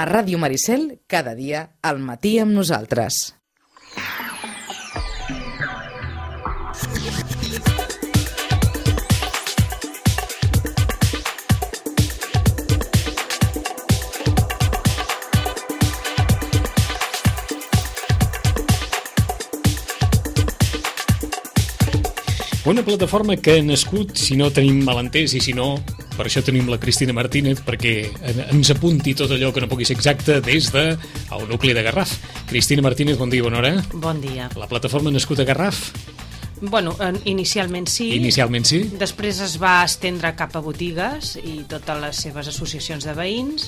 A Ràdio Maricel, cada dia, al matí amb nosaltres. Una plataforma que ha nascut, si no tenim malentès i si no, per això tenim la Cristina Martínez, perquè ens apunti tot allò que no pugui ser exacte des del nucli de Garraf. Cristina Martínez, bon dia, bona hora. Bon dia. La plataforma ha nascut a Garraf? Bueno, inicialment sí. Inicialment sí. Després es va estendre cap a botigues i totes les seves associacions de veïns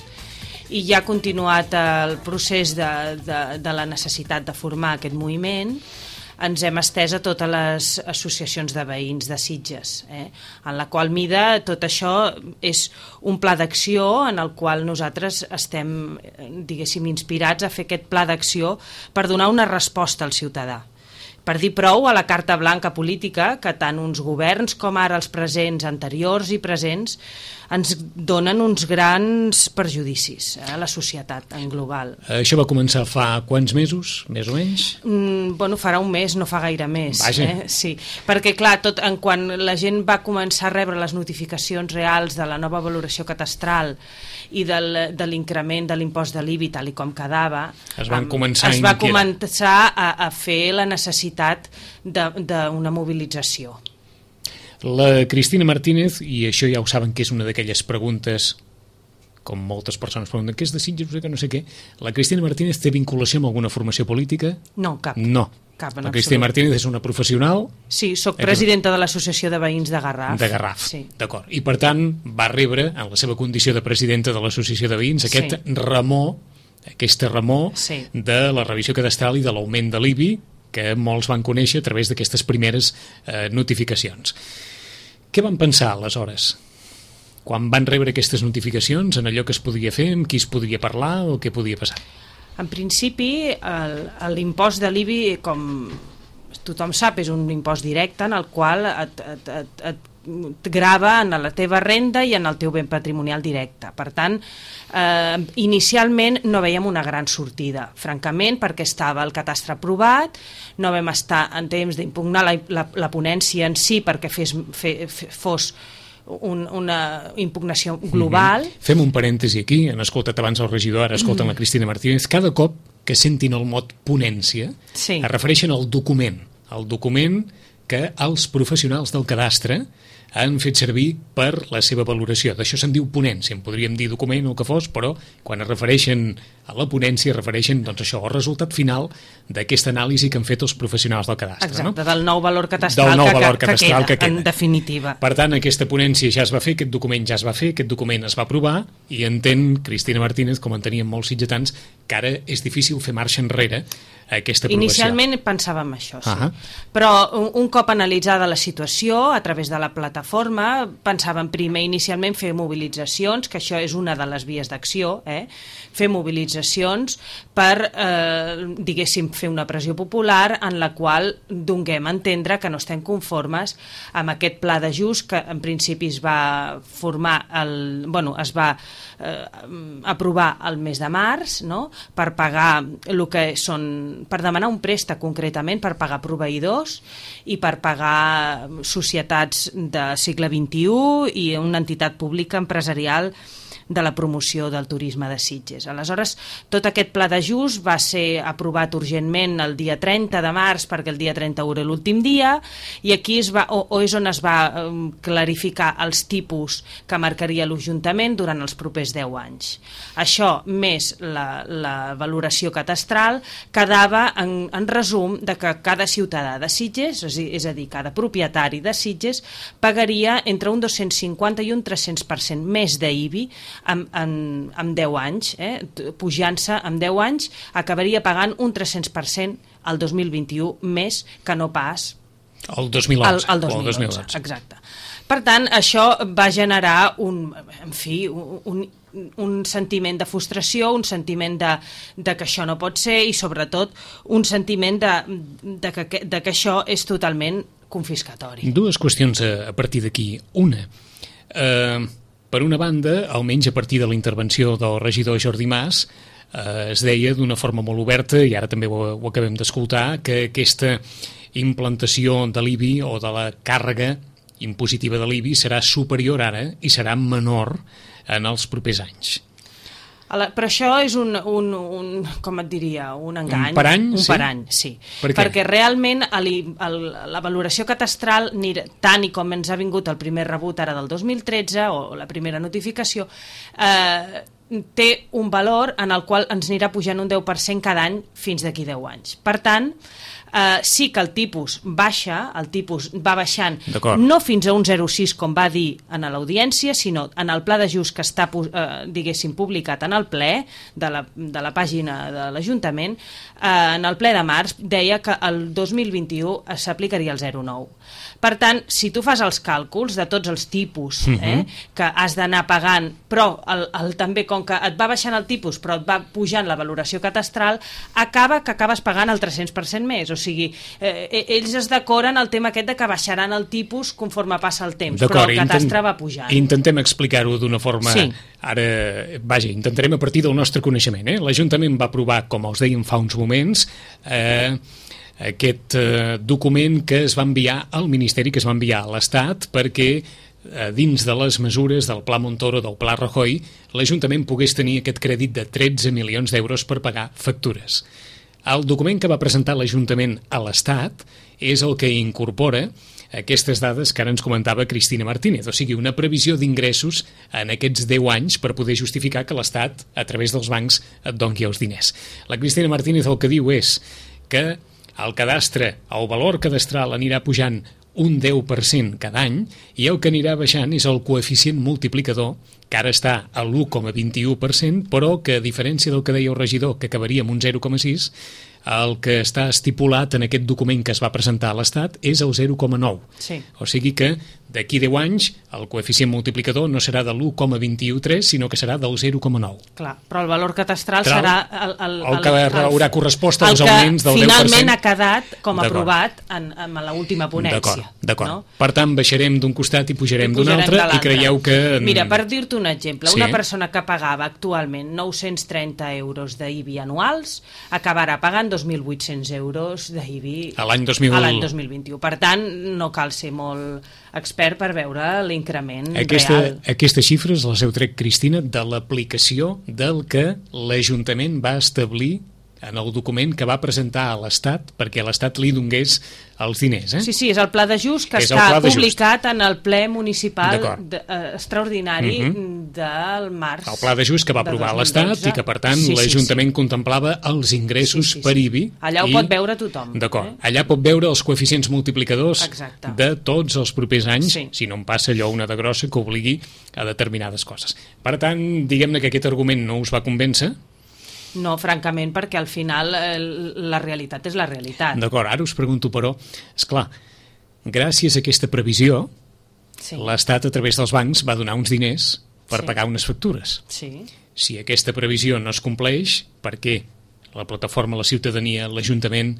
i ja ha continuat el procés de la necessitat de formar aquest moviment. Ens hem estès a totes les associacions de veïns de Sitges, en la qual mida tot això és un pla d'acció en el qual nosaltres estem, diguéssim, inspirats a fer aquest pla d'acció per donar una resposta al ciutadà. Per dir prou a la carta blanca política que tant uns governs com ara els presents, anteriors i presents, ens donen uns grans perjudicis a la societat en global. Això va començar fa quants mesos, més o menys? Bueno, farà un mes, no fa gaire més. Vaja. Sí, perquè clar, quan la gent va començar a rebre les notificacions reals de la nova valoració catastral i de l'increment de l'impost de l'IBI tal i com quedava, es va començar a fer la necessitat d'una mobilització. La Cristina Martínez, i això ja ho saben que és una d'aquelles preguntes, com moltes persones pregunten, què és de Sitges, no sé què, la Cristina Martínez té vinculació amb alguna formació política? No, cap. No. Cap en la Cristina absolut. Martínez és una professional? Sí, soc presidenta de l'Associació de Veïns de Garraf. De Garraf, sí. D'acord. I per tant va rebre, en la seva condició de presidenta de l'Associació de Veïns, aquest remor, aquesta remor de la revisió cadastral i de l'augment de l'IBI que molts van conèixer a través d'aquestes primeres notificacions. Què van pensar aleshores? Quan van rebre aquestes notificacions, en allò que es podia fer, amb qui es podria parlar o què podia passar? En principi, l'impost de l'IBI, com tothom sap, és un impost directe en el qual et grava en la teva renda i en el teu bé patrimonial directe. Per tant, inicialment no veiem una gran sortida, francament, perquè estava el catastre aprovat, no vam estar en temps d'impugnar la ponència en si perquè fos una impugnació global. Fem un parèntesi aquí, han escoltat abans el regidor, ara escolten la Cristina Martínez. Cada cop que sentin el mot ponència es refereixen al document que els professionals del cadastre han fet servir per la seva valoració. D'això se'n diu ponència, en podríem dir document o el que fos, però quan es refereixen a la ponència es refereixen doncs, això, al resultat final d'aquesta anàlisi que han fet els professionals del cadastre. Exacte, no? Del nou valor catastral que queda, en definitiva. Per tant, aquesta ponència ja es va fer, aquest document ja es va fer, aquest document es va aprovar i entén Cristina Martínez, com entenien molts sitgetans, que ara és difícil fer marxa enrere a aquesta aprovació. Inicialment pensàvem això, sí. Però un cop analitzada la situació a través de la plataforma, pensàvem primer inicialment fer mobilitzacions, que això és una de les vies d'acció, fer mobilitzacions per, diguéssim, fer una pressió popular en la qual donem a entendre que no estem conformes amb aquest pla d'ajust que en principi es va formar, es va aprovar el mes de març, no? Per pagar el que són, per demanar un préstec concretament per pagar proveïdors i per pagar societats de segle XXI i una entitat pública empresarial de la promoció del turisme de Sitges. Aleshores, tot aquest pla d'ajust va ser aprovat urgentment el dia 30 de març perquè el dia 31 era l'últim dia i aquí és on es va clarificar els tipus que marcaria l'Ajuntament durant els propers 10 anys. Això, més la valoració catastral, quedava en resum de que cada ciutadà de Sitges, és a dir, cada propietari de Sitges, pagaria entre un 250 i un 300% més d'IBI amb 10 anys, pujant-se amb 10 anys, acabaria pagant un 300% al 2021 més que no pas el 2011. El 2011, exacte. Per tant, això va generar un sentiment de frustració, un sentiment de que això no pot ser i sobretot un sentiment de que això és totalment confiscatori. Dues qüestions a partir d'aquí. Una, Per una banda, almenys a partir de la intervenció del regidor Jordi Mas, es deia d'una forma molt oberta, i ara també ho acabem d'escoltar, que aquesta implantació de l'IBI o de la càrrega impositiva de l'IBI serà superior ara i serà menor en els propers anys. Però això és com et diria, un engany. Un parany, sí? Un parany, sí. Perquè realment la valoració catastral, tant i com ens ha vingut el primer rebut ara del 2013, o la primera notificació, té un valor en el qual ens anirà pujant un 10% cada any fins d'aquí 10 anys. Per tant, sí que el tipus baixa, el tipus va baixant, no fins a un 0,6 com va dir en l'audiència, sinó en el pla d'ajust que està, diguéssim, publicat en el ple de la pàgina de l'Ajuntament. En el ple de març deia que el 2021 s'aplicaria el 0,9. Per tant, si tu fas els càlculs de tots els tipus que has d'anar pagant, però també com que et va baixant el tipus però et va pujant la valoració catastral, acabes pagant el 300% més. O sigui, ells es decoren el tema aquest de que baixaran el tipus conforme passa el temps, però el catastre va pujant. Intentem explicar-ho d'una forma... Sí. Ara, vaja, intentarem a partir del nostre coneixement. L'Ajuntament va aprovar, com us dèiem fa uns moments, aquest document que es va enviar al Ministeri, que es va enviar a l'Estat, perquè dins de les mesures del Pla Montoro, del Pla Rajoy, l'Ajuntament pogués tenir aquest crèdit de 13 milions d'euros per pagar factures. El document que va presentar l'Ajuntament a l'Estat és el que incorpora aquestes dades que ara ens comentava Cristina Martínez, o sigui, una previsió d'ingressos en aquests 10 anys per poder justificar que l'Estat, a través dels bancs, et doni els diners. La Cristina Martínez el que diu és que el cadastre, el valor cadastral anirà pujant un 10% cada any i el que anirà baixant és el coeficient multiplicador, que ara està a l'1,21%, però que a diferència del que deia el regidor, que acabaria amb un 0,6%, el que està estipulat en aquest document que es va presentar a l'Estat és el 0,9. Sí. O sigui que d'aquí 10 anys el coeficient multiplicador no serà de l'1,213, sinó que serà del 0,9. Clar, però el valor catastral serà el que haurà correspost als augments del 10%. Finalment ha quedat com aprovat en l'última ponència. D'acord. No? Per tant, baixarem d'un costat i pujarem d'un altre, i creieu que... Mira, per dir-te un exemple, una persona que pagava actualment 930 euros d'IBI anuals acabarà pagant 2.800 euros d'IBI a l'any 2021. Per tant, no cal ser molt expert per veure l'increment real. Aquestes xifres les heu tret, Cristina, de l'aplicació del que l'Ajuntament va establir en el document que va presentar a l'Estat perquè l'Estat li donés els diners. Sí, és el pla d'ajust que està publicat en el ple municipal extraordinari del març. El pla d'ajust que va aprovar l'Estat i que, per tant, l'Ajuntament contemplava els ingressos per IBI. Allà ho pot veure tothom. D'acord. Allà pot veure els coeficients multiplicadors de tots els propers anys, si no en passa allò una de grossa que obligui a determinades coses. Per tant, diguem-ne que aquest argument no us va convèncer. No, francament, perquè al final la realitat és la realitat. D'acord, ara us pregunto, però, esclar, gràcies a aquesta previsió, l'Estat, a través dels bancs, va donar uns diners per pagar unes factures. Sí. Si aquesta previsió no es compleix, per què la plataforma, la ciutadania, l'Ajuntament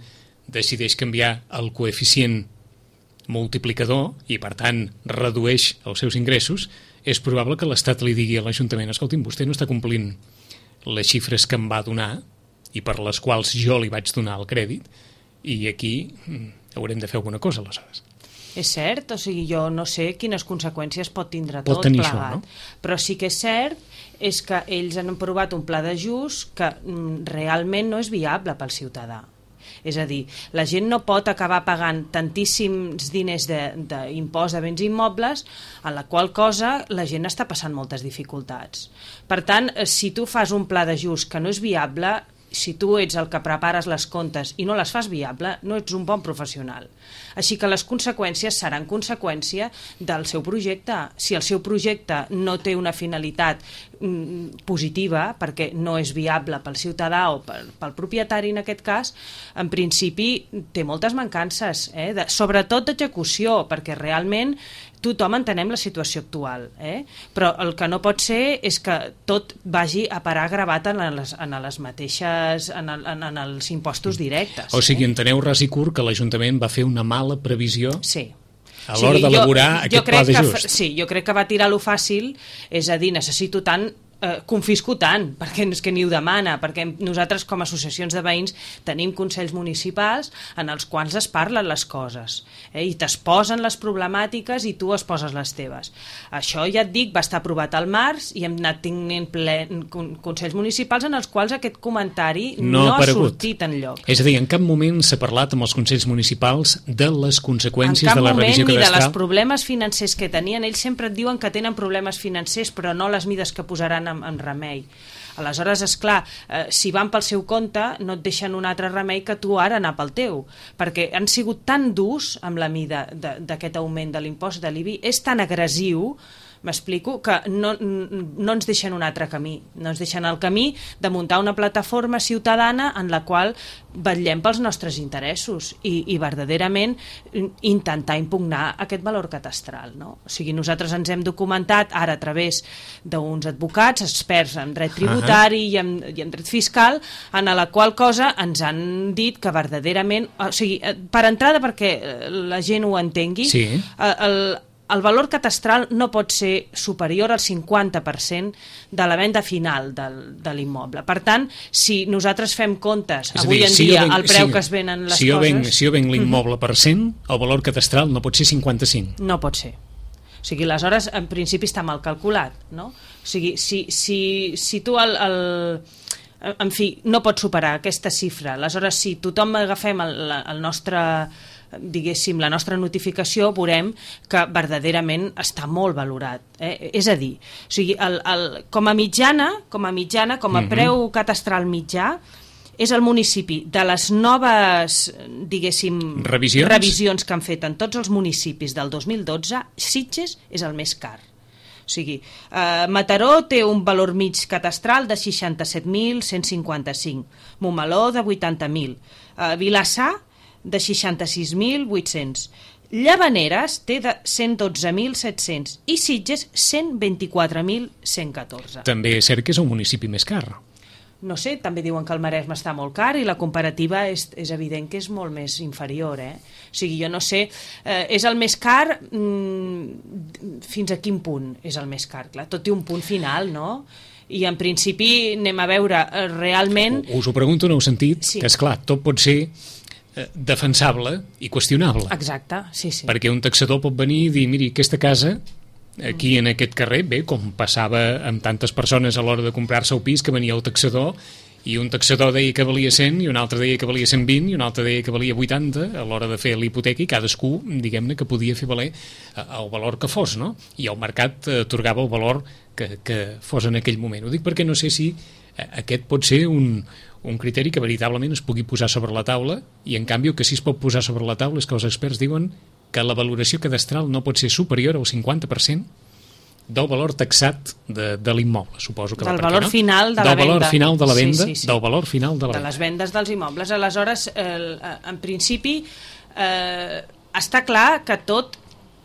decideix canviar el coeficient multiplicador i, per tant, redueix els seus ingressos, és probable que l'Estat li digui a l'Ajuntament: escolti'm, vostè no està complint les xifres que em va donar i per les quals jo li vaig donar el crèdit, i aquí haurem de fer alguna cosa, aleshores. És cert, o sigui, jo no sé quines conseqüències pot tindre tot plegat, això, no? Però sí que és cert és que ells han aprovat un pla d'ajust que realment no és viable pel ciutadà. És a dir, la gent no pot acabar pagant tantíssims diners d'impost de béns immobles, en la qual cosa la gent està passant moltes dificultats. Per tant, si tu fas un pla d'ajust que no és viable, si tu ets el que prepares les comptes i no les fas viable, no ets un bon professional. Així que les conseqüències seran conseqüència del seu projecte. Si el seu projecte no té una finalitat positiva, perquè no és viable pel ciutadà o pel propietari en aquest cas, en principi té moltes mancances, sobretot d'execució, perquè realment tothom entenem la situació actual, però el que no pot ser és que tot vagi a parar gravat en les mateixes, en els impostos directes. O sigui, enteneu ras i curt que l'Ajuntament va fer una mala previsió? Sí. a l'hora d'elaborar aquest pla d'ajust. Sí, jo crec que va tirar lo fàcil, és a dir, necessito tant, confisco tant, perquè és que ni ho demana, perquè nosaltres com a associacions de veïns tenim consells municipals en els quals es parlen les coses, i t'exposen les problemàtiques i tu exposes les teves. Això, ja et dic, va estar aprovat al març i hem anat tenint consells municipals en els quals aquest comentari no ha sortit enlloc. És a dir, en cap moment s'ha parlat amb els consells municipals de les conseqüències de la revisió cadastral? En cap moment, ni de els problemes financers que tenien. Ells sempre et diuen que tenen problemes financers, però no les mides que posaran en remei. Aleshores, esclar, si van pel seu compte, no et deixen un altre remei que tu ara anar pel teu, perquè han sigut tan durs amb la mida d'aquest augment de l'impost de l'IBI, és tan agressiu, m'explico, que no ens deixen un altre camí, no ens deixen el camí de muntar una plataforma ciutadana en la qual vetllem pels nostres interessos i verdaderament intentar impugnar aquest valor catastral, no? O sigui, nosaltres ens hem documentat ara a través d'uns advocats experts en dret tributari i en dret fiscal, en la qual cosa ens han dit que verdaderament, o sigui, per entrada perquè la gent ho entengui, sí. El valor catastral no pot ser superior al 50% de la venda final de l'immoble. Per tant, si nosaltres fem comptes avui en dia al preu que es venen les coses... Si jo venc l'immoble per 100, el valor catastral no pot ser 55. No pot ser. O sigui, aleshores, en principi està mal calculat, no? O sigui, si tu en fi, no pots superar aquesta xifra. Aleshores, si tothom agafem el nostre... diguéssim, la nostra notificació, veurem que verdaderament està molt valorat. És a dir, o sigui, com a mitjana, com a preu catastral mitjà, és el municipi de les noves, diguéssim, revisions que han fet en tots els municipis del 2012, Sitges és el més car. O sigui, Mataró té un valor mig catastral de 67.155, Montmeló de 80.000, Vilassar de 66.800, Llavaneres té de 112.700 i Sitges 124.114. També és cert que és un municipi més car. No sé, també diuen que el Maresme està molt car i la comparativa és evident que és molt més inferior, O sigui, jo no sé, és el més car, fins a quin punt és el més car? Clar, tot té un punt final, no? I en principi anem a veure realment... Us ho pregunto en el sentit que, esclar, tot pot ser defensable i qüestionable. Exacte, sí. Perquè un taxador pot venir i dir, miri, aquesta casa, aquí en aquest carrer, bé, com passava amb tantes persones a l'hora de comprar-se el pis, que venia el taxador, i un taxador deia que valia 100, i un altre deia que valia 120, i un altre deia que valia 80 a l'hora de fer l'hipoteca, i cadascú, diguem-ne, que podia fer valer el valor que fos, no? I el mercat atorgava el valor que fos en aquell moment. Ho dic perquè no sé si aquest pot ser un criteri que veritablement es pugui posar sobre la taula, i en canvi el que sí es pot posar sobre la taula és que els experts diuen que la valoració cadastral no pot ser superior al 50% del valor taxat de l'immoble, suposo que del valor final de la venda. Del valor final de la venda, del valor final de la venda. De les vendes dels immobles. Aleshores, en principi, està clar que tot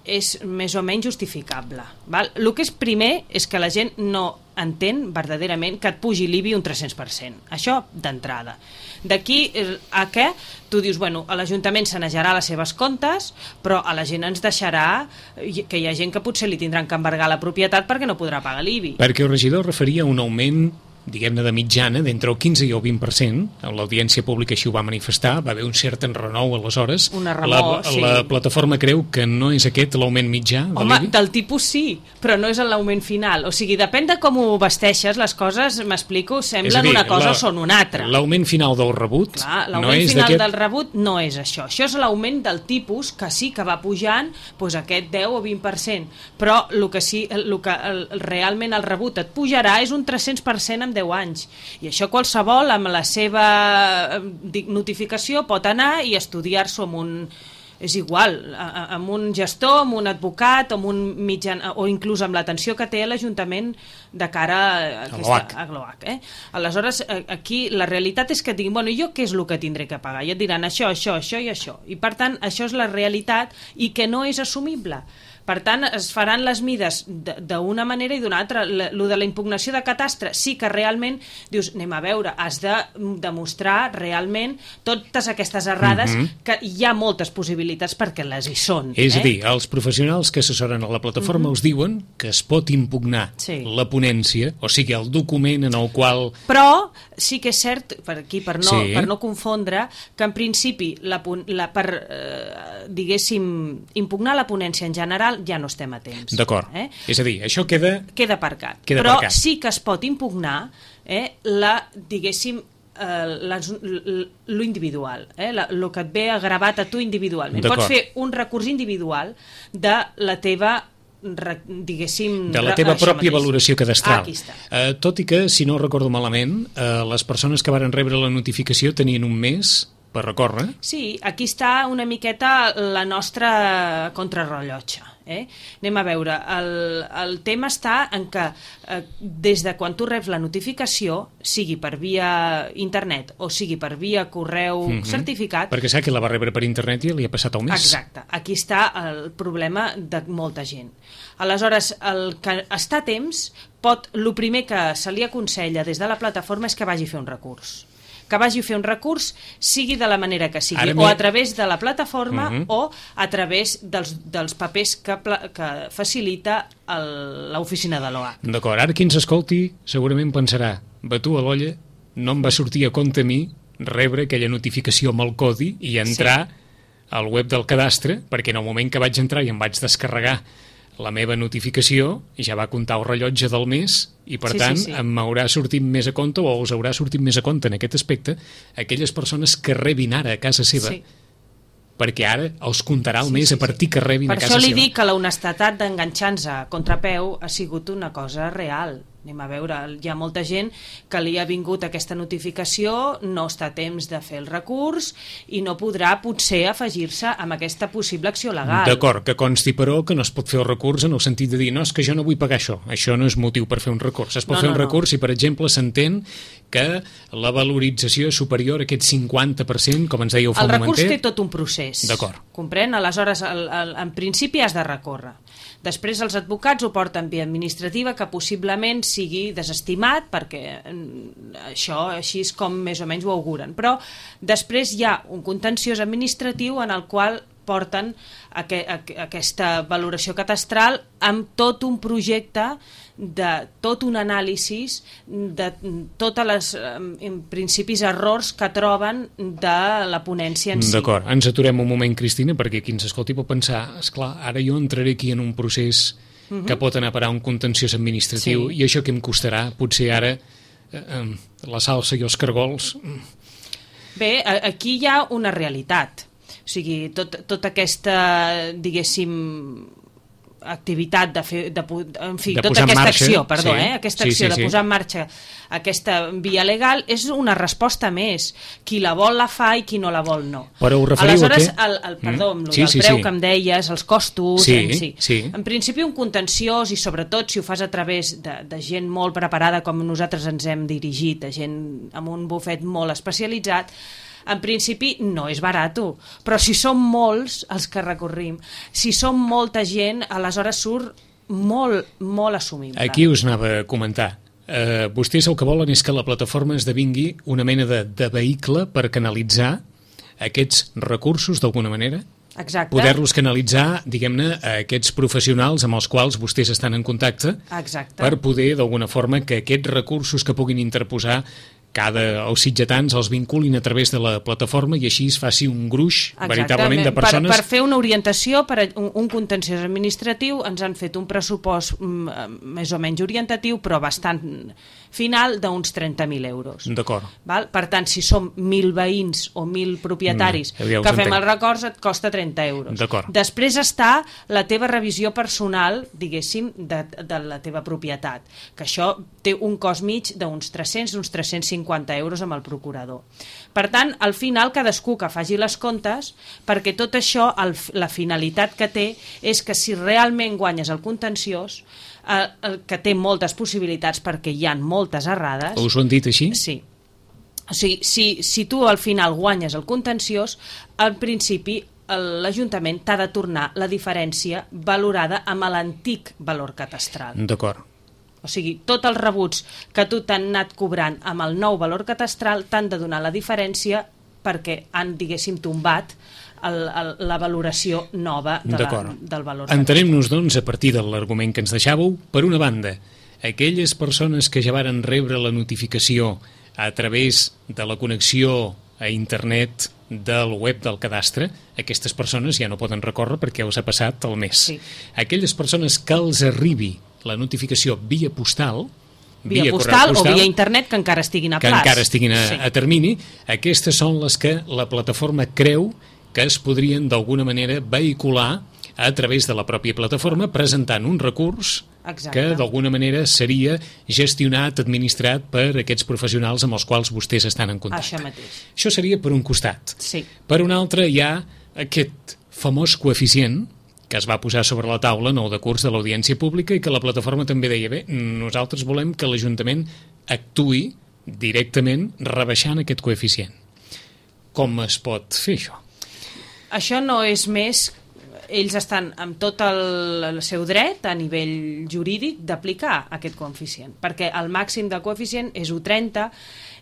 és més o menys justificable. Val? El que és primer és que la gent no entén verdaderament que et pugi l'IBI un 300%. Això d'entrada. D'aquí a què tu dius, bueno, a l'Ajuntament sanejarà les seves comptes, però a la gent ens deixarà que hi ha gent que potser li tindran que embargar la propietat perquè no podrà pagar l'IBI. Perquè el regidor referia a un augment, diguem-ne, de mitjana, d'entre el 15 i el 20%. L'audiència pública així ho va manifestar, va haver un cert enrenou aleshores. Una remor, sí. La plataforma creu que no és aquest l'augment mitjà de l'IBI? Home, del tipus sí, però no és l'augment final. O sigui, depèn de com ho vesteixes, les coses, m'explico, semblen una cosa o són una altra. L'augment final del rebut no és final del rebut no és això. Això és l'augment del tipus, que sí que va pujant, doncs aquest 10 o 20%. Però el que realment el rebut et pujarà és un 300% en 10 anys. I això qualsevol amb la seva notificació pot anar i estudiar-s'ho amb un... És igual, amb un gestor, amb un advocat, amb un mitjan, o inclús amb l'atenció que té l'Ajuntament de cara a GLOAC. Aleshores, aquí la realitat és que et diguin, bueno, jo què és el que tindré que pagar? I et diran això i això. I per tant, això és la realitat i que no és assumible. Per tant, es faran les mides d'una manera i d'una altra. Lo de la impugnació de catastre, sí que realment dius, anem a veure, has de demostrar realment totes aquestes errades, que hi ha moltes possibilitats perquè les hi són. És a dir, els professionals que assessoren a la plataforma us diuen que es pot impugnar la ponència, o sigui, el document en el qual... Però sí que és cert, per aquí, per no confondre, que en principi per diguéssim, impugnar la ponència en general ja no estem a temps. D'acord. És a dir, això queda aparcat. Però sí que es pot impugnar diguéssim, lo individual, el que et ve gravat a tu individualment. Pots fer un recurs individual de la teva diguéssim... De la teva pròpia valoració cadastral. Aquí està. Tot i que, si no recordo malament, les persones que varen rebre la notificació tenien un mes per recórrer. Sí, aquí està una miqueta la nostra contrarrellotge. Anem a veure, el tema està en que des de quan tu reps la notificació, sigui per via internet o sigui per via correu certificat... Perquè sap que la va rebre per internet i li ha passat el mes. Exacte, aquí està el problema de molta gent. Aleshores, el que està a temps, el primer que se li aconsella des de la plataforma és que vagi a fer un recurs. Que vagi a fer un recurs, sigui de la manera que sigui, o a través de la plataforma o a través dels papers que facilita l'oficina de l'OA. D'acord, ara qui ens escolti segurament pensarà, batu a l'olla, no em va sortir a compte a mi rebre aquella notificació amb el codi i entrar al web del cadastre, perquè en el moment que vaig entrar i em vaig descarregar la meva notificació ja va comptar el rellotge del mes i per tant m'haurà sortit més a compte o us haurà sortit més a compte en aquest aspecte aquelles persones que rebin ara a casa seva perquè ara els comptarà el mes a partir que rebin a casa seva. Per això li dic que la honestedat d'enganxar-nos a contrapeu ha sigut una cosa real. Anem a veure, hi ha molta gent que li ha vingut aquesta notificació, no està a temps de fer el recurs i no podrà potser afegir-se amb aquesta possible acció legal. D'acord, que consti però que no es pot fer el recurs en el sentit de dir no, és que jo no vull pagar això no és motiu per fer un recurs. Es pot fer un recurs si, per exemple, s'entén que la valorització és superior a aquest 50%, com ens dèieu fa un momentet. El recurs té tot un procés. D'acord. Comprèn? Aleshores, en principi has de recórrer. Després els advocats ho porten via administrativa que possiblement sigui desestimat perquè això així és com més o menys ho auguren. Però després hi ha un contenciós administratiu en el qual porten aquesta valoració catastral amb tot un projecte de tot un anàlisi de totes les principis errors que troben de la ponència en si. D'acord, ens aturem un moment, Cristina, perquè qui ens escolti pot pensar, esclar, ara jo entraré aquí en un procés que pot anar a parar un contenciós administratiu i això que em costarà, potser ara la salsa i els cargols... Bé, aquí hi ha una realitat. O sigui, tota aquesta, diguéssim, activitat de fer, tota aquesta acció, aquesta acció de posar en marxa aquesta via legal és una resposta més. Qui la vol la fa i qui no la vol no. Però ho referiu aleshores, el preu que em deies, els costos, en principi un contenciós i sobretot si ho fas a través de gent molt preparada com nosaltres ens hem dirigit, de gent amb un bufet molt especialitzat, en principi no és barat, però si som molts els que recorrim, si som molta gent, aleshores surt molt, molt assumible. Aquí us anava a comentar. Vostès el que volen és que la plataforma esdevingui una mena de vehicle per canalitzar aquests recursos d'alguna manera? Exacte. Poder-los canalitzar, diguem-ne, a aquests professionals amb els quals vostès estan en contacte. Exacte. Per poder, d'alguna forma, que aquests recursos que puguin interposar els sitgetans els vinculin a través de la plataforma i així es faci un gruix veritablement de persones... Per fer una orientació, per un contenciós administratiu, ens han fet un pressupost més o menys orientatiu, però bastant final d'uns 30.000 euros. D'acord. Per tant, si som 1.000 veïns o 1.000 propietaris que fem els records, et costa 30 euros. D'acord. Després està la teva revisió personal, diguéssim, de la teva propietat, que això té un cost mig d'uns 300, uns 350 euros amb el procurador. Per tant, al final, cadascú que faci les comptes, perquè tot això, la finalitat que té és que si realment guanyes el contenciós, que té moltes possibilitats perquè hi ha moltes errades... Us ho han dit així? Sí. O sigui, si tu al final guanyes el contenciós, al principi l'Ajuntament t'ha de tornar la diferència valorada amb l'antic valor catastral. D'acord. O sigui, tots els rebuts que tu t'han anat cobrant amb el nou valor catastral t'han de donar la diferència perquè han, diguéssim, tombat la valoració nova del valor catastral. Entenem-nos, doncs, a partir de l'argument que ens deixàveu, per una banda, aquelles persones que ja varen rebre la notificació a través de la connexió a internet del web del cadastre, aquestes persones ja no poden recórrer perquè ja us ha passat el mes. Sí. Aquelles persones que els arribi la notificació via postal, via postal o via internet que encara estiguin a plaç. Que encara estiguin a termini, aquestes són les que la plataforma creu que es podrien d'alguna manera vehicular a través de la pròpia plataforma presentant un recurs que d'alguna manera seria gestionat, administrat per aquests professionals amb els quals vostès estan en contacte. Això mateix. Això seria per un costat. Sí. Per un altre hi ha aquest famós coeficient que es va posar sobre la taula en el decurs de l'audiència pública i que la plataforma també deia, bé, nosaltres volem que l'Ajuntament actuï directament rebaixant aquest coeficient. Com es pot fer això? Això no és més... Ells estan amb tot el seu dret a nivell jurídic d'aplicar aquest coeficient, perquè el màxim del coeficient és 1,30,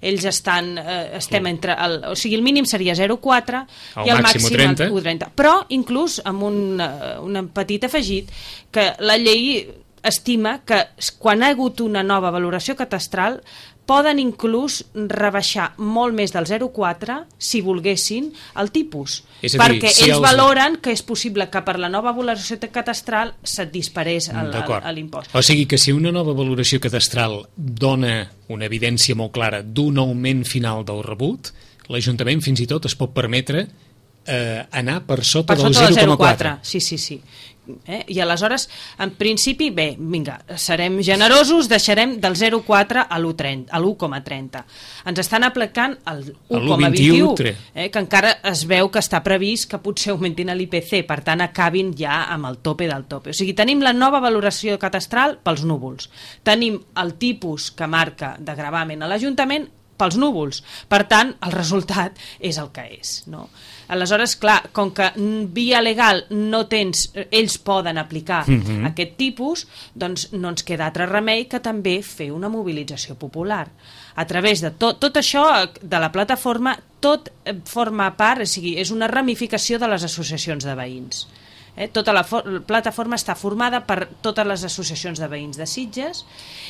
ells estem entre... O sigui, el mínim seria 0,4 i el màxim 1,30. Però, inclús, amb un petit afegit, que la llei estima que quan ha hagut una nova valoració catastral poden inclús rebaixar molt més del 0,4 si volguessin el tipus, perquè ells valoren que és possible que per la nova valoració catastral se't disparés l'impost. O sigui que si una nova valoració catastral dona una evidència molt clara d'un augment final del rebut, l'Ajuntament fins i tot es pot permetre anar per sota del 0,4. Sí. I aleshores, en principi, bé, vinga, serem generosos, deixarem del 0,4 a l'1,30. Ens estan aplicant el 1,21, que encara es veu que està previst que potser augmentin l'IPC, per tant acabin ja amb el tope del tope. O sigui, tenim la nova valoració catastral pels núvols, tenim el tipus que marca de gravamen a l'Ajuntament pels núvols, per tant el resultat és el que és, no? Aleshores, clar, com que via legal no tens, ells poden aplicar aquest tipus, doncs no ens queda altre remei que també fer una mobilització popular. A través de tot això de la plataforma, tot forma part, o sigui, és una ramificació de les associacions de veïns. Tota la plataforma està formada per totes les associacions de veïns de Sitges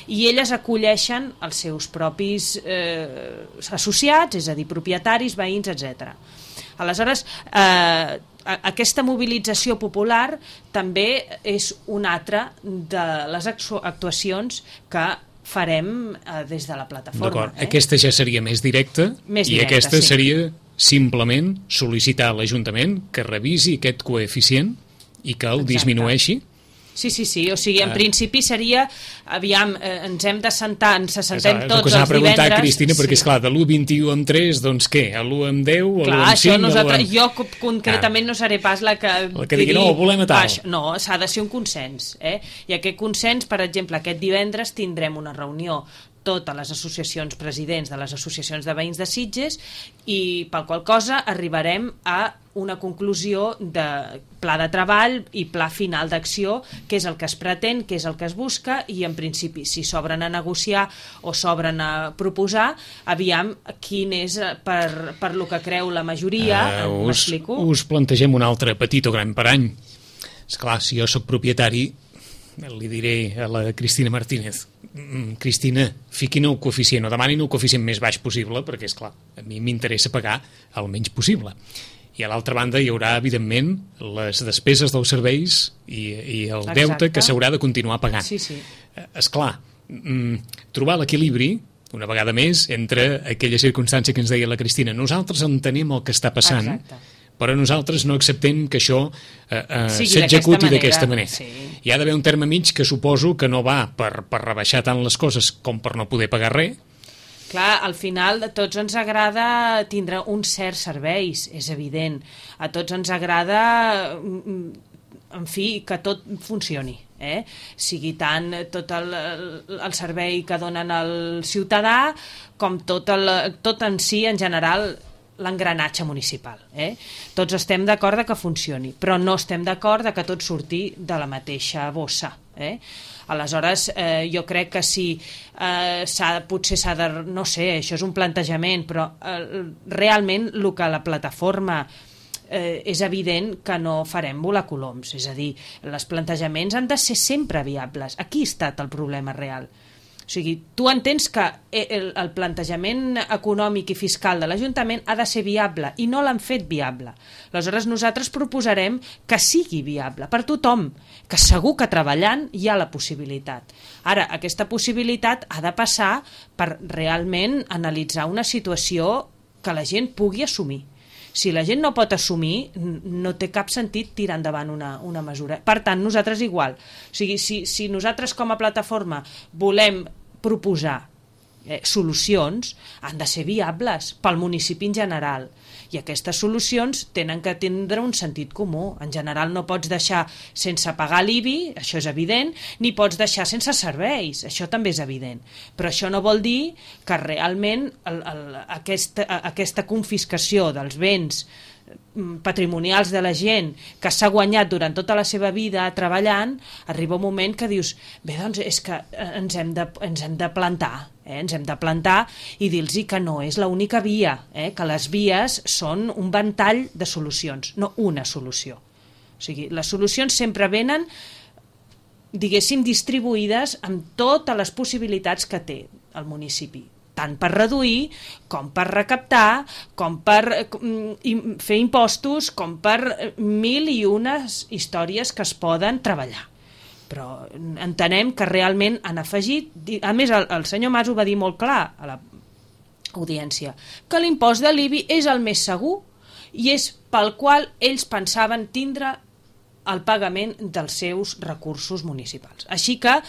i elles acolleixen els seus propis associats, és a dir, propietaris, veïns, etc. Aleshores, aquesta mobilització popular també és una altra de les actuacions que farem des de la plataforma. D'acord, aquesta ja seria més directa i aquesta seria simplement sol·licitar a l'Ajuntament que revisi aquest coeficient i que el disminueixi. Sí, o sigui, en principi seria, aviam, ens hem de sentar, ens assentem tots els divendres... preguntar, Cristina, perquè, esclar, de l'1,21 amb 3, doncs què? A l'1 amb 10, a l'1 amb 5... Jo concretament no seré pas la que digui, no, volem a tal. No, s'ha de ser un consens, I aquest consens, per exemple, aquest divendres tindrem una reunió totes les associacions presidents de les associacions de veïns de Sitges i per qual cosa arribarem a una conclusió de pla de treball i pla final d'acció, que és el que es pretén, que és el que es busca, i en principi si s'obren a negociar o s'obren a proposar, aviam quin és per lo que creu la majoria, m'explico? Us plantegem un altre petit o gran parany. Esclar, si jo soc propietari, li diré a la Cristina Martínez, Cristina, fiquin el coeficient o demanin el coeficient més baix possible, perquè, esclar, a mi m'interessa pagar el menys possible. I a l'altra banda hi haurà, evidentment, les despeses dels serveis i el deute que s'haurà de continuar pagant. Sí. Esclar, trobar l'equilibri, una vegada més, entre aquella circumstància que ens deia la Cristina. Nosaltres entenem el que està passant, però nosaltres no acceptem que això s'executi d'aquesta manera. Sí. Hi ha d'haver un terme mig que suposo que no va per rebaixar tant les coses com per no poder pagar res. Clar, al final a tots ens agrada tindre uns certs serveis, és evident. A tots ens agrada, en fi, que tot funcioni. Sigui tant tot el servei que donen al ciutadà com tot en si, en general, l'engranatge municipal. Tots estem d'acord que funcioni, però no estem d'acord que tot surti de la mateixa bossa. Aleshores, jo crec que si potser s'ha de... No sé, això és un plantejament, però realment el que la plataforma és evident que no farem volar coloms. És a dir, els plantejaments han de ser sempre viables. Aquí ha estat el problema real. O sigui, tu entens que el plantejament econòmic i fiscal de l'Ajuntament ha de ser viable i no l'han fet viable. Aleshores nosaltres proposarem que sigui viable per tothom, que segur que treballant hi ha la possibilitat. Ara, aquesta possibilitat ha de passar per realment analitzar una situació que la gent pugui assumir. Si la gent no pot assumir, no té cap sentit tirar endavant una mesura. Per tant, nosaltres igual. O sigui, si nosaltres com a plataforma volem proposar solucions, han de ser viables pel municipi en general. I aquestes solucions tenen que tindre un sentit comú. En general no pots deixar sense pagar l'IBI, això és evident, ni pots deixar sense serveis, això també és evident. Però això no vol dir que realment aquesta confiscació dels béns patrimonials de la gent que s'ha guanyat durant tota la seva vida treballant, arriba un moment que dius, bé, doncs és que ens hem de plantar, ens hem de plantar i dir-los que no és l'única via, que les vies són un ventall de solucions, no una solució. O sigui, les solucions sempre venen, diguéssim, distribuïdes amb totes les possibilitats que té el municipi, tant per reduir, com per recaptar, com per fer impostos, com per mil i unes històries que es poden treballar. Però entenem que realment han afegit, a més el senyor Mas ho va dir molt clar a l'audiència, que l'impost de l'IBI és el més segur i és pel qual ells pensaven tindre el pagament dels seus recursos municipals. Així que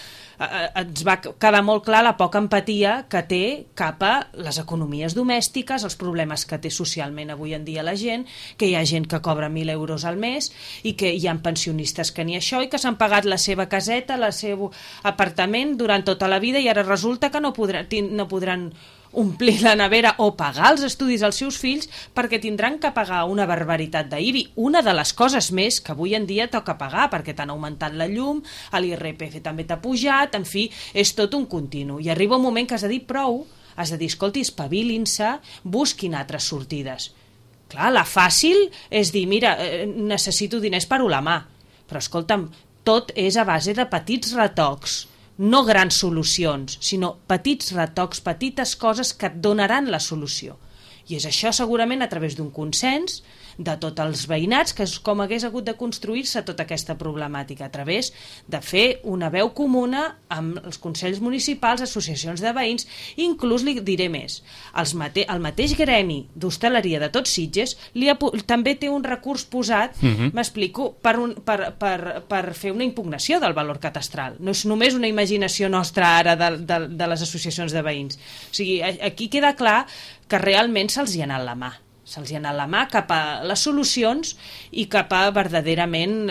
ens va quedar molt clar la poca empatia que té cap a les economies domèstiques, els problemes que té socialment avui en dia la gent, que hi ha gent que cobra 1.000 euros al mes i que hi ha pensionistes que ni això i que s'han pagat la seva caseta, el seu apartament durant tota la vida i ara resulta que no podran omplir la nevera o pagar els estudis als seus fills perquè tindran que pagar una barbaritat d'IBI. Una de les coses més que avui en dia toca pagar perquè t'han augmentat la llum, l'IRPF també t'ha pujat, en fi, és tot un continu. I arriba un moment que has de dir prou, has de dir, escolti, espavilin-se, busquin altres sortides. Clar, la fàcil és dir, mira, necessito diners per a la mà, però escolta'm, tot és a base de petits retocs, no grans solucions, sinó petits retocs, petites coses que et donaran la solució. I és això segurament a través d'un consens de tots els veïnats, que és com hagués hagut de construir-se tota aquesta problemàtica, a través de fer una veu comuna amb els consells municipals, associacions de veïns, inclús li diré més, el mateix gremi d'hostaleria de Tots Sitges també té un recurs posat, m'explico, per fer una impugnació del valor catastral. No és només una imaginació nostra ara de les associacions de veïns. O sigui, aquí queda clar que realment se'ls hi ha anat la mà. Se'ls hi ha anat la mà cap a les solucions i cap a verdaderament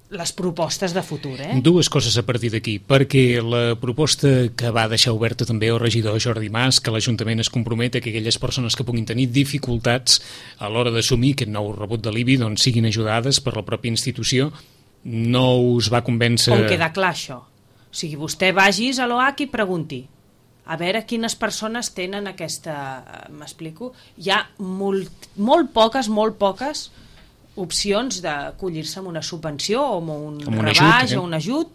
les propostes de futur. Dues coses a partir d'aquí, perquè la proposta que va deixar oberta també el regidor Jordi Mas, que l'Ajuntament es compromet a que aquelles persones que puguin tenir dificultats a l'hora d'assumir aquest nou rebut de l'IBI doncs siguin ajudades per la pròpia institució, no us va convèncer... On queda clar això? O sigui, vostè vagis a l'OAC i pregunti a veure quines persones tenen aquesta... M'explico? Hi ha molt poques opcions d'acollir-se amb una subvenció o amb un rebaixa o un ajut,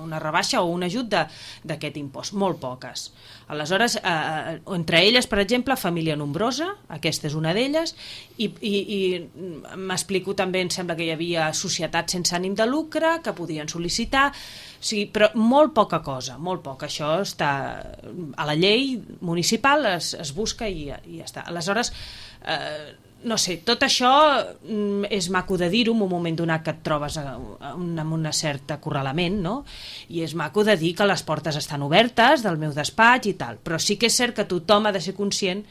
una rebaixa o un ajut d'aquest impost. Molt poques. Aleshores, entre elles, per exemple, família nombrosa, aquesta és una d'elles, i m'explico també, em sembla que hi havia societats sense ànim de lucre que podien sol·licitar, o sigui, però molt poca cosa, molt poc. Això està a la llei municipal, es busca i ja està. Aleshores, no sé, tot això és maco de dir-ho en un moment donat que et trobes amb un cert acorralament, no? I és maco de dir que les portes estan obertes del meu despatx i tal, però sí que és cert que tothom ha de ser conscient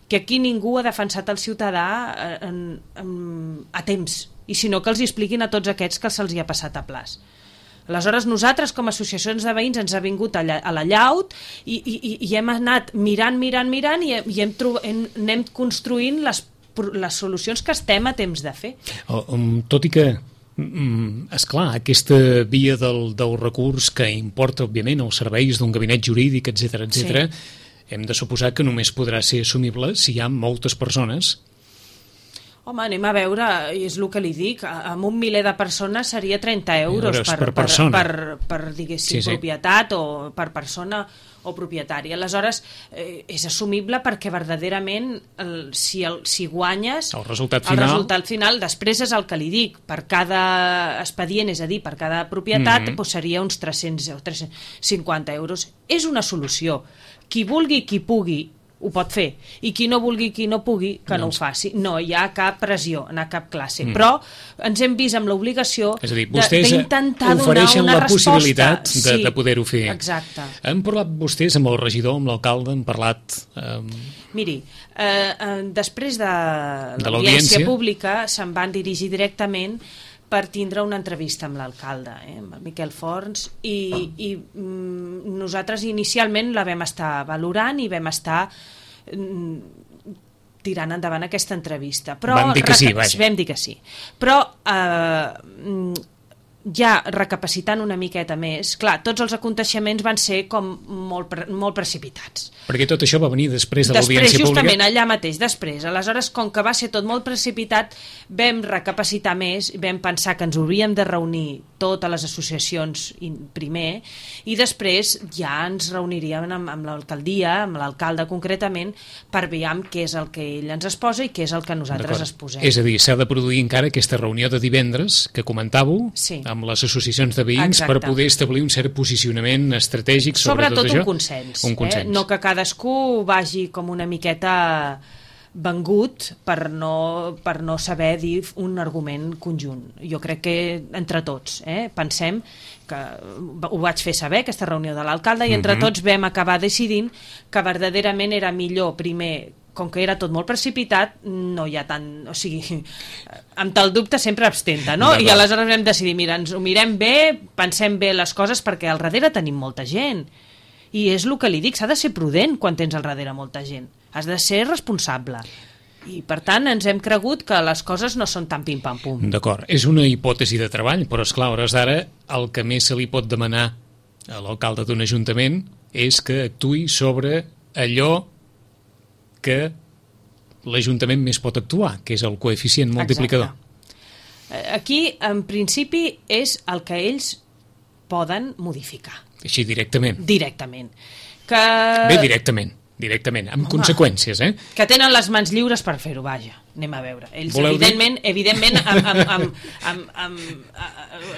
que aquí ningú ha defensat el ciutadà a temps, i sinó que els expliquin a tots aquests que se'ls hi ha passat a plaç. Aleshores, nosaltres, com a associacions de veïns, ens ha vingut a la llaut i hem anat mirant i anem construint les solucions que estem a temps de fer. Tot i que, esclar, aquesta via del recurs que importa, òbviament, els serveis d'un gabinet jurídic, etc, hem de suposar que només podrà ser assumible si hi ha moltes persones. Home, anem a veure, és el que li dic, amb 1 miler de persones seria 30 euros per persona. Per diguéssim, propietat o per persona o propietari. Aleshores, és assumible perquè verdaderament si guanyes... El resultat final, després és el que li dic, per cada expedient, és a dir, per cada propietat, doncs seria uns 300 o 350 euros. És una solució. Qui vulgui, qui pugui, ho pot fer, i qui no vulgui, qui no pugui, que no ho faci. No hi ha cap pressió en cap classe, però ens hem vist amb l'obligació d'intentar donar una resposta. Ofereixen la possibilitat de poder-ho fer. Exacte. Han parlat vostès amb el regidor, amb l'alcalde, han parlat... Miri, després de l'audiència pública se'n van dirigir directament per tindre una entrevista amb l'alcalde, amb el Miquel Forns, i nosaltres inicialment la vam estar valorant i vam estar tirant endavant aquesta entrevista. Però vam dir que sí, vaja. Vam dir que sí. Però ja recapacitant una miqueta més, clar, tots els aconteixements van ser com molt precipitats. Perquè tot això va venir després de l'audiència pública? Justament, allà mateix, després. Aleshores, com que va ser tot molt precipitat, vam recapacitar més, vam pensar que ens hauríem de reunir totes les associacions primer, i després ja ens reuniríem amb l'alcaldia, amb l'alcalde concretament, per veure què és el que ell ens exposa i què és el que nosaltres exposem. És a dir, s'ha de produir encara aquesta reunió de divendres que comentàveu, amb les associacions de veïns. Exacte. Per poder establir un cert posicionament estratègic sobre tot això. Sobretot un consens. No que cadascú vagi com una miqueta vengut per no saber dir un argument conjunt. Jo crec que entre tots pensem que ho vaig fer saber, aquesta reunió de l'alcalde, i entre tots vam acabar decidint que verdaderament era millor primer, com que era tot molt precipitat, no hi ha tant... O sigui, amb tal dubte sempre abstenta, no? I aleshores vam decidir, mira, ens ho mirem bé, pensem bé les coses, perquè al darrere tenim molta gent. I és el que li dic, s'ha de ser prudent quan tens al darrere molta gent. Has de ser responsable. I, per tant, ens hem cregut que les coses no són tan pim-pam-pum. D'acord. És una hipòtesi de treball, però, esclar, a hores d'ara, el que més se li pot demanar a l'alcalde d'un ajuntament és que actuï sobre allò que l'Ajuntament més pot actuar, que és el coeficient multiplicador. Exacte. Aquí, en principi, és el que ells poden modificar. Així, directament. Directament. Bé, directament, amb conseqüències, Que tenen les mans lliures per fer-ho, vaja. Anem a veure. Ells, evidentment, amb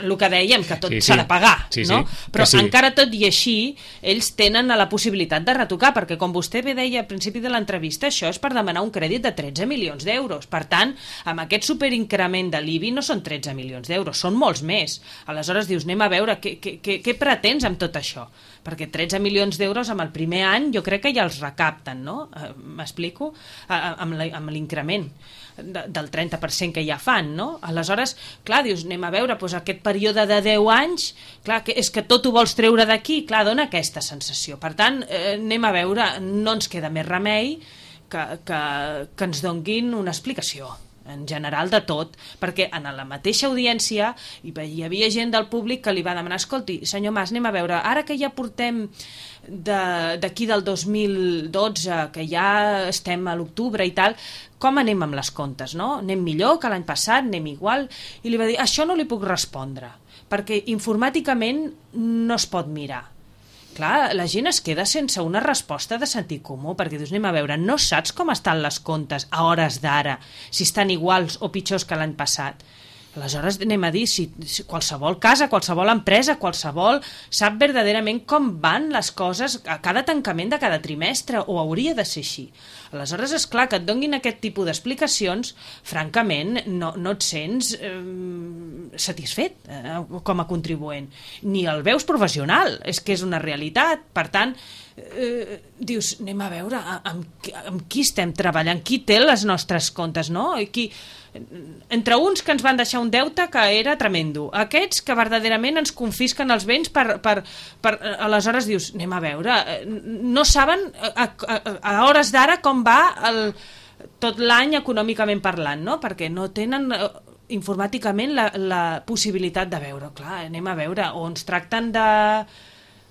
el que dèiem, que tot s'ha de pagar, no? Però encara tot i així, ells tenen la possibilitat de retocar, perquè com vostè bé deia al principi de l'entrevista, això és per demanar un crèdit de 13 milions d'euros. Per tant, amb aquest superincrement de l'IBI no són 13 milions d'euros, són molts més. Aleshores dius, anem a veure, què pretens amb tot això? Perquè 13 milions d'euros amb el primer any jo crec que ja els recapten, no? M'explico? Amb l'increment del 30% que ja fan, no? Aleshores, clar, dius, anem a veure, doncs aquest període de 10 anys, clar, és que tot ho vols treure d'aquí, clar, dona aquesta sensació. Per tant, anem a veure, no ens queda més remei que ens donguin una explicació en general de tot, perquè en la mateixa audiència hi havia gent del públic que li va demanar, escolti, senyor Mas, anem a veure, ara que ja portem d'aquí del 2012, que ja estem a l'octubre i tal, com anem amb les comptes, no? Anem millor que l'any passat, anem igual? I li va dir, això no li puc respondre, perquè informàticament no es pot mirar. Clar, la gent es queda sense una resposta de sentit comú, perquè dius, anem a veure, no saps com estan les comptes a hores d'ara, si estan iguals o pitjors que l'any passat. Aleshores anem a dir, si qualsevol casa, qualsevol empresa, qualsevol sap verdaderament com van les coses a cada tancament de cada trimestre, o hauria de ser així. Aleshores, és clar que et donguin aquest tipus d'explicacions, francament, no et sents satisfet com a contribuent. Ni el veus professional, és que és una realitat. Per tant, dius, anem a veure amb qui estem treballant, qui té les nostres comptes, no? entre uns que ens van deixar un deute que era tremendo, aquests que verdaderament ens confisquen els béns aleshores dius, anem a veure, no saben a hores d'ara com va tot l'any econòmicament parlant, no? Perquè no tenen informàticament la possibilitat de veure, clar, anem a veure, o ens tracten de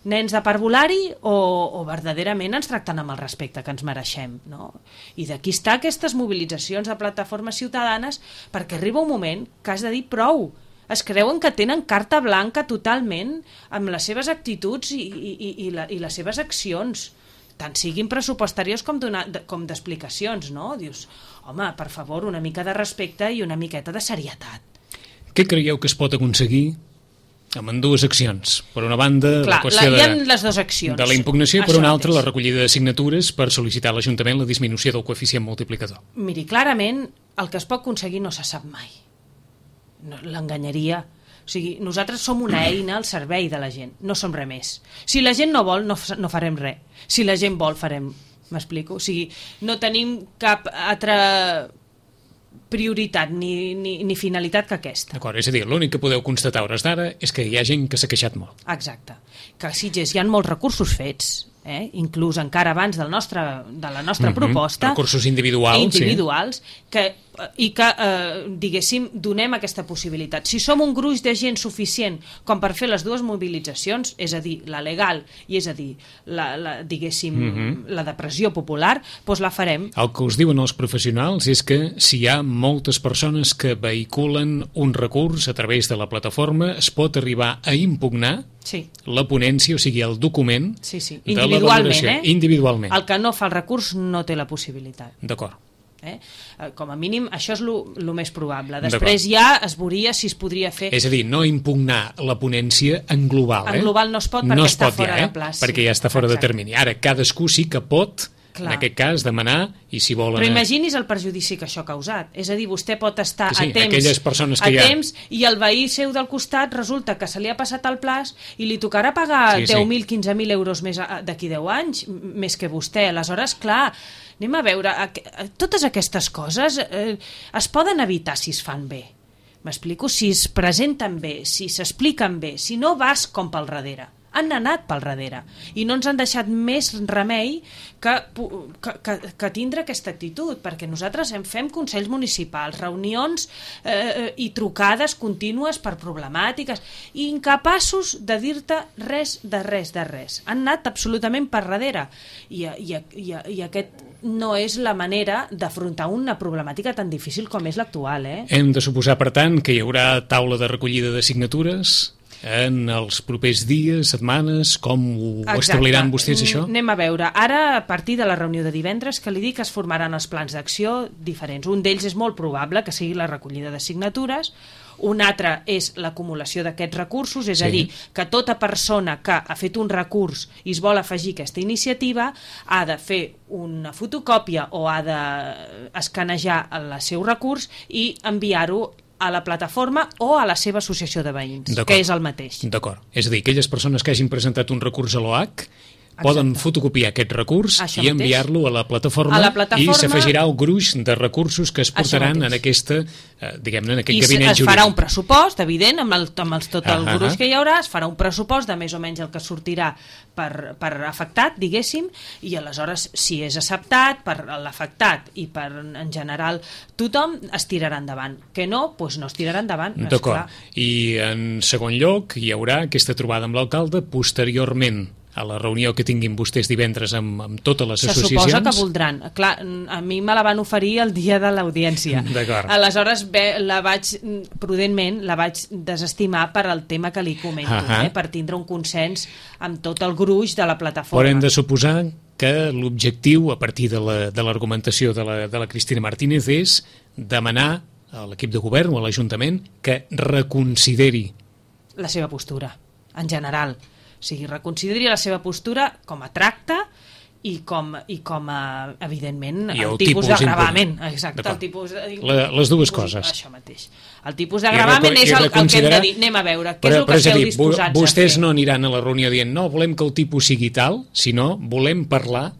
nens de parvulari o verdaderament ens tracten amb el respecte que ens mereixem, no? I d'aquí està aquestes mobilitzacions de plataformes ciutadanes, perquè arriba un moment que has de dir prou. Es creuen que tenen carta blanca totalment amb les seves actituds i les seves accions, tant siguin pressupostàries com d'explicacions, no? Dius, home, per favor, una mica de respecte i una miqueta de serietat. Què creieu que es pot aconseguir amb dues accions? Per una banda, la qüestió hi ha les dues accions. De la impugnació, i per una altra, la recollida de signatures per sol·licitar a l'Ajuntament la disminució del coeficient multiplicador. Miri, clarament, el que es pot aconseguir no se sap mai. L'enganyaria. O sigui, nosaltres som una eina al servei de la gent, no som res més. Si la gent no vol, no farem res. Si la gent vol, farem. M'explico? O sigui, no tenim cap altra prioritat ni finalitat que aquesta. D'acord, és a dir, l'únic que podeu constatar a hores d'ara és que hi ha gent que s'ha queixat molt. Exacte. Que a Sitges hi ha molts recursos fets, inclús encara abans de la nostra proposta. Recursos individuals. I que, diguéssim, donem aquesta possibilitat. Si som un gruix de gent suficient com per fer les dues mobilitzacions, és a dir, la legal i és a dir, diguéssim, la de pressió popular, doncs la farem. El que us diuen els professionals és que si hi ha moltes persones que vehiculen un recurs a través de la plataforma, es pot arribar a impugnar la ponència, o sigui, el document de la valoració. Individualment. El que no fa el recurs no té la possibilitat. D'acord. Com a mínim, això és el més probable. Després ja es veuria si es podria fer. És a dir, no impugnar la ponència en global. En global no es pot perquè està fora de plaç. Perquè ja està fora de termini. Ara, cadascú sí que pot, en aquest cas, demanar, i si volen... Però imagini's el perjudici que això ha causat. És a dir, vostè pot estar a temps i el veí seu del costat resulta que se li ha passat el plaç i li tocarà pagar 10.000, 15.000 euros més d'aquí 10 anys, més que vostè. Aleshores, clar, anem a veure, totes aquestes coses es poden evitar si es fan bé. M'explico? Si es presenten bé, si s'expliquen bé, si no vas com pel darrere. Han anat pel darrere i no ens han deixat més remei que tindre aquesta actitud, perquè nosaltres fem consells municipals, reunions i trucades contínues per problemàtiques i incapaços de dir-te res. Han anat absolutament per darrere i aquest no és la manera d'afrontar una problemàtica tan difícil com és l'actual. Hem de suposar, per tant, que hi haurà taula de recollida de signatures en els propers dies, setmanes, com ho establiran vostès, això? Anem a veure. Ara, a partir de la reunió de divendres, que li dic que es formaran els plans d'acció diferents. Un d'ells és molt probable que sigui la recollida de signatures, un altre és l'acumulació d'aquests recursos, és a dir, que tota persona que ha fet un recurs i es vol afegir aquesta iniciativa ha de fer una fotocòpia o ha d'escanejar el seu recurs i enviar-ho a la plataforma o a la seva associació de veïns, que és el mateix. D'acord. És a dir, aquelles persones que hagin presentat un recurs a l'OAC poden fotocopiar aquest recurs i enviar-lo a la plataforma i s'afegirà el gruix de recursos que es portaran en aquesta, diguem-ne, en aquest gabinet jurídic. I es farà un pressupost, evident, amb tot el gruix que hi haurà, es farà un pressupost de més o menys el que sortirà per afectat, diguéssim, i aleshores, si és acceptat per l'afectat i per, en general, tothom es tirarà endavant. Que no, doncs no es tirarà endavant. D'acord. I en segon lloc hi haurà aquesta trobada amb l'alcalde posteriorment a la reunió que tinguin vostès divendres amb totes les associacions. Se suposa que voldran. Clar, a mi me la van oferir el dia de l'audiència. D'acord. Aleshores, prudentment, la vaig desestimar per al tema que li comento, per tindre un consens amb tot el gruix de la plataforma. Però hem de suposar que l'objectiu, a partir de l'argumentació de la Cristina Martínez, és demanar a l'equip de govern o a l'Ajuntament que reconsideri la seva postura, en general. O sigui, reconsideri la seva postura com a tracte i com a, evidentment, el tipus de gravament. Exacte, el tipus les dues coses. Això mateix. El tipus de gravament és el que hem de dir. Anem a veure, què és el que esteu disposats a fer? Vostès no aniran a la reunió dient no, volem que el tipus sigui tal, sinó volem parlar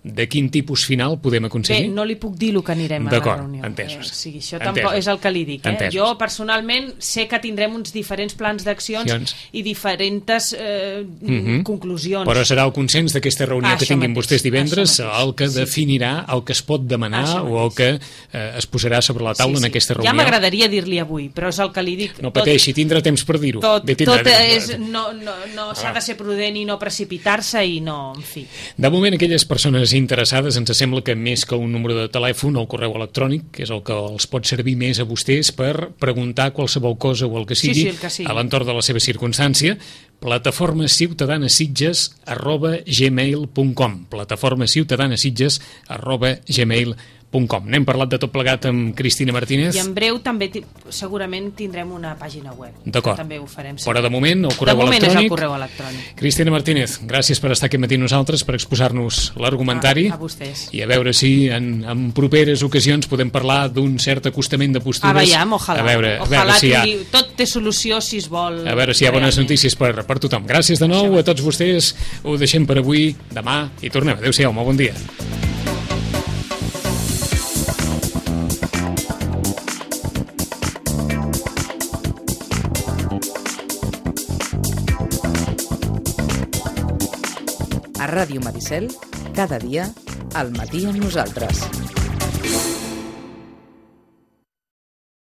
de quin tipus final podem aconseguir? Bé, no li puc dir el que anirem a la reunió. Entesos. Sí, això tampoc és el que li dic. Jo, personalment, sé que tindrem uns diferents plans d'accions i diferents conclusions. Però serà el consens d'aquesta reunió que tinguin vostès divendres el que definirà el que es pot demanar o el que es posarà sobre la taula en aquesta reunió. Ja m'agradaria dir-li avui, però és el que li dic. No pateixi, tindrà temps per dir-ho. Tot no s'ha de ser prudent i no precipitar-se i no, en fi. De moment, aquelles persones interessades, ens sembla que més que un número de telèfon o el correu electrònic, que és el que els pot servir més a vostès per preguntar qualsevol cosa o el que sigui, a l'entorn de la seva circumstància, plataformaciutadanasitges@gmail.com plataformaciutadanasitges@gmail.com. N'hem parlat de tot plegat amb Cristina Martínez. I en breu també segurament tindrem una pàgina web. D'acord. També ho farem. Però de moment el correu electrònic. És el correu electrònic. Cristina Martínez, gràcies per estar aquest matí amb nosaltres, per exposar-nos l'argumentari. A vostès. I a veure si en properes ocasions podem parlar d'un cert acostament de postures. Veiem, ojalà. A veure si hi ha... Tot té solució si es vol. A veure si hi ha bones notícies per tothom. Gràcies de nou a tots vostès. Ho deixem per avui. Demà hi tornem. Adéu-siau, molt bon dia. A Ràdio Maricel, cada dia, al matí amb nosaltres.